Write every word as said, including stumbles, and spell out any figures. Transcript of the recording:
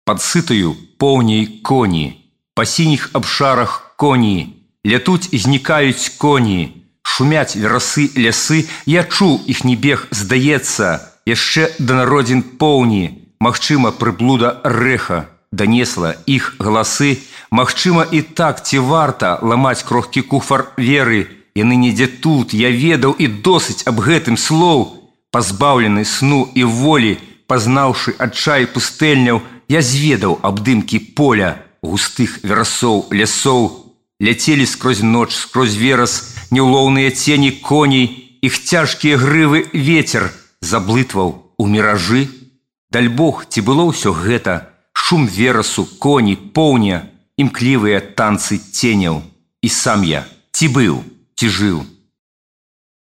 пад сытаю поўняй коні, па сініх абшарах коні, лятуць і знікаюць коні, шумяць верасы лясы, я чуў іхні бег, здаецца, яшчэ да народзін поўні, магчыма, прыблуда рэха данесла іх галасы, магчыма, і так ці варта ламаць крохкі куфар веры, яны недзе тут, я ведаў і досыць аб гэтым слоў, пазбаўлены сну і волі, пазнаўшы адчай пустэльняў, я зведаў аб дымкі поля, густых верасоў лясоў, ляцелі скрозь ноч, скрозь верас, неўлоўныя цені коней, іх цяжкія грывы ветер заблытваў у міражы. Дальбог, ці было ўсё гэта, шум верасу, коні, поўня, імклівыя танцы ценяў. І сам я ці быў, ці жыў.